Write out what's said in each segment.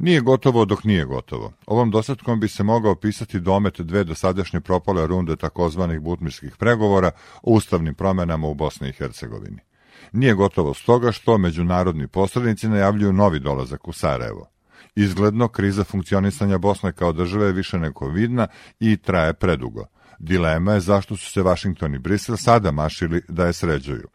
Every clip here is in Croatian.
Nije gotovo dok nije gotovo. Ovom dosadkom bi se mogao opisati domet dve dosadašnje propale runde takozvanih butmirskih pregovora o ustavnim promjenama u Bosni i Hercegovini. Nije gotovo stoga što međunarodni posrednici najavljuju novi dolazak u Sarajevo. Izgledno, kriza funkcionisanja Bosne kao države je više nego vidna i traje predugo. Dilema je zašto su se Vašington i Brisel sada mašili da je sređuju.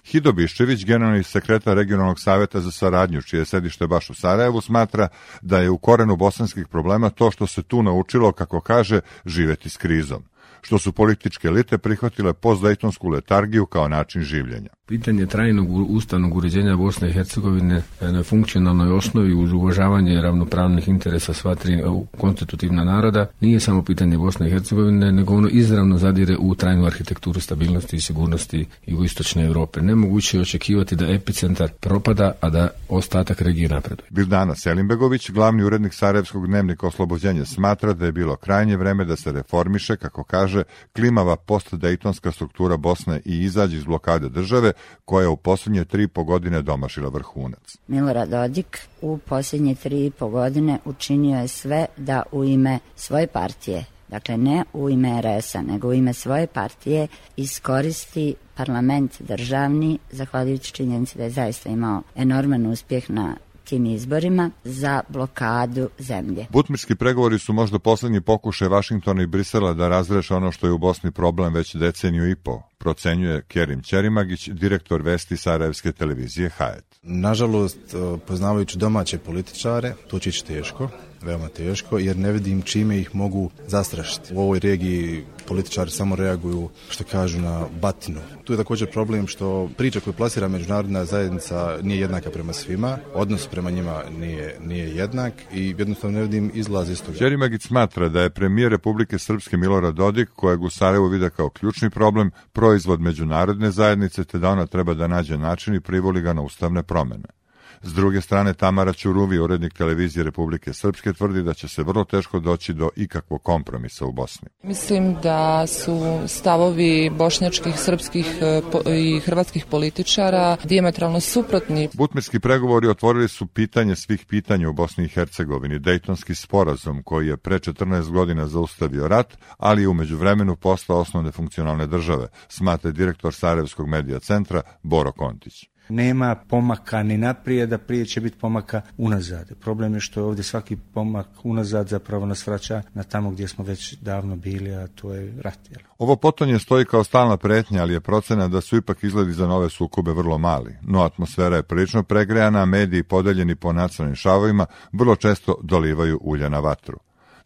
Hido Biščević, generalni sekretar regionalnog savjeta za saradnju, čije je sedište baš u Sarajevu, smatra da je u korenu bosanskih problema to što se tu naučilo, kako kaže, živjeti s krizom, što su političke elite prihvatile postdejtonsku letargiju kao način življenja. Pitanje trajnog ustavnog uređenja Bosne i Hercegovine na funkcionalnoj osnovi uz uvažavanje ravnopravnih interesa sva tri konstitutivna naroda nije samo pitanje Bosne i Hercegovine, nego ono izravno zadire u trajnu arhitekturu stabilnosti i sigurnosti jugoistočne Europe. Nemoguće je očekivati da epicentar propada, a da ostatak regije napreduje. Bildana Selimbegović, glavni urednik Sarajevskog dnevnika Oslobođenje, smatra da je bilo krajnje vreme da se reformiše, kako kaže, klimava postdejtonska struktura Bosne i izađe iz blokade države, koja je u posljednje 3,5 godine domašila vrhunac. Milorad Dodik u posljednje 3,5 godine učinio je sve da u ime svoje partije, dakle ne u ime RS-a, nego u ime svoje partije, iskoristi parlament državni, zahvaljujući činjenici da je zaista imao enorman uspjeh na tim izborima, za blokadu zemlje. Butmirski pregovori su možda posljednji pokušaj Vašingtona i Brisela da razreše ono što je u Bosni problem već deceniju i po, procenjuje Kerim Ćerimagić, direktor vesti Sarajevske televizije Hayat. Nažalost, poznavajući domaće političare, to će ići teško, veoma teško, jer ne vidim čime ih mogu zastrašiti. U ovoj regiji političari samo reaguju, što kažu, na batinu. Tu je također problem što priča koju plasira međunarodna zajednica nije jednaka prema svima, odnos prema njima nije jednak i jednostavno ne vidim izlaz iz toga. Ćerimagić smatra da je premijer Republike Srpske Milorad Dodik, kojeg u Sarajevu vide kao ključni problem, proizvod međunarodne zajednice, te da ona treba da nađe način i privoli ga na ustavne promjene. S druge strane, Tamara Ćuruvi, urednik televizije Republike Srpske, tvrdi da će se vrlo teško doći do ikakvog kompromisa u Bosni. Mislim da su stavovi bošnjačkih, srpskih i hrvatskih političara dijametralno suprotni. Butmirski pregovori otvorili su pitanje svih pitanja u Bosni i Hercegovini, Dejtonski sporazum koji je pre 14 godina zaustavio rat, ali je u međuvremenu postao osnovne funkcionalne države, smatra direktor Sarajevskog medija centra Boro Kontić. Nema pomaka ni naprijed, a prije će biti pomaka unazad. Problem je što je ovdje svaki pomak unazad zapravo nas vraća na tamo gdje smo već davno bili, a to je rat. Ovo potonje stoji kao stalna pretnja, ali je procena da su ipak izgledi za nove sukobe vrlo mali. No atmosfera je prilično pregrejana, a mediji podeljeni po nacionalnim šavovima vrlo često dolivaju ulje na vatru.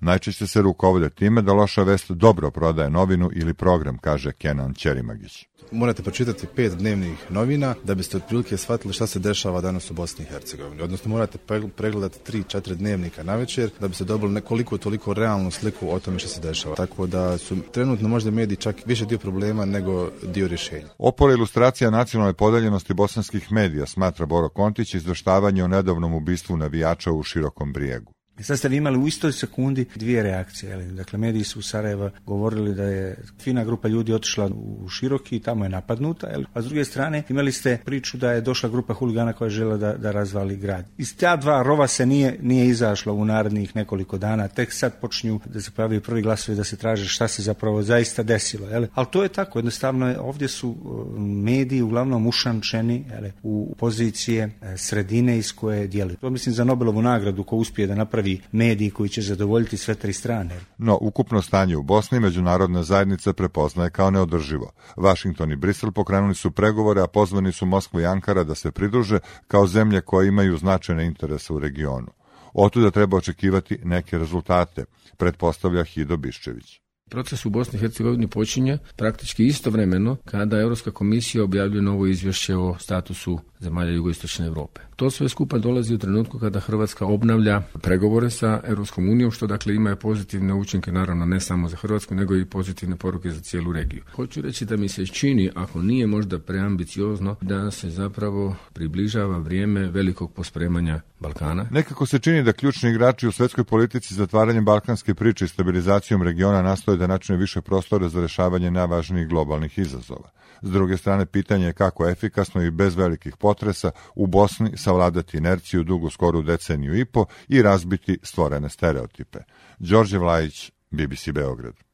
Najčešće se rukovode time da loša vest dobro prodaje novinu ili program, kaže Kenan Ćerimagić. Morate pročitati 5 dnevnih novina da biste otprilike shvatili šta se dešava danas u Bosni i Hercegovini. Odnosno morate pregledati 3-4 dnevnika navečer da biste dobili nekoliko toliko realnu sliku o tome što se dešava. Tako da su trenutno možda mediji čak više dio problema nego dio rješenja. Opora ilustracija nacionalne podeljenosti bosanskih medija, smatra Boro Kontić, izveštavanje o nedavnom ubistvu navijača u Širokom Brijegu. I sad ste vi imali u istoj sekundi dvije reakcije. Dakle, mediji su u Sarajevo govorili da je fina grupa ljudi otišla u Široki i tamo je napadnuta. A s druge strane imali ste priču da je došla grupa huligana koja je željela da razvali grad. Iz ta dva rova se nije izašlo u narednih nekoliko dana. Tek sad počinju da se pojavljaju prvi glasovi da se traže šta se zapravo zaista desilo. Ali to je tako. Jednostavno ovdje su mediji uglavnom ušančeni u pozicije sredine iz koje djeluju. To mislim za Nobelovu nagradu ko uspije da napravi mediji koji će zadovoljiti sve tri strane. No, ukupno stanje u Bosni međunarodna zajednica prepoznaje kao neodrživo. Vašington i Brisel pokrenuli su pregovore, a pozvani su Moskva i Ankara da se pridruže kao zemlje koje imaju značajne interese u regionu. Otuda treba očekivati neke rezultate, pretpostavlja Hido Biščević. Proces u Bosni i Hercegovini počinje praktički istovremeno kada Europska komisija objavljuje novo izvješće o statusu zemalja jugoistočne Europe. To sve skupa dolazi u trenutku kada Hrvatska obnavlja pregovore sa Europskom unijom, što dakle ima pozitivne učinke naravno ne samo za Hrvatsku, nego i pozitivne poruke za cijelu regiju. Hoću reći da mi se čini, ako nije možda preambiciozno, da se zapravo približava vrijeme velikog pospremanja Balkana. Nekako se čini da ključni igrači u svjetskoj politici zatvaranjem balkanske priče i stabilizacijom regiona nastoje da načine više prostora za rješavanje najvažnijih globalnih izazova. S druge strane, pitanje je kako efikasno i bez velikih potresa u Bosni savladati inerciju dugu skoru deceniju i po i razbiti stvorene stereotipe. Đorđe Vlajić, BBC Beograd.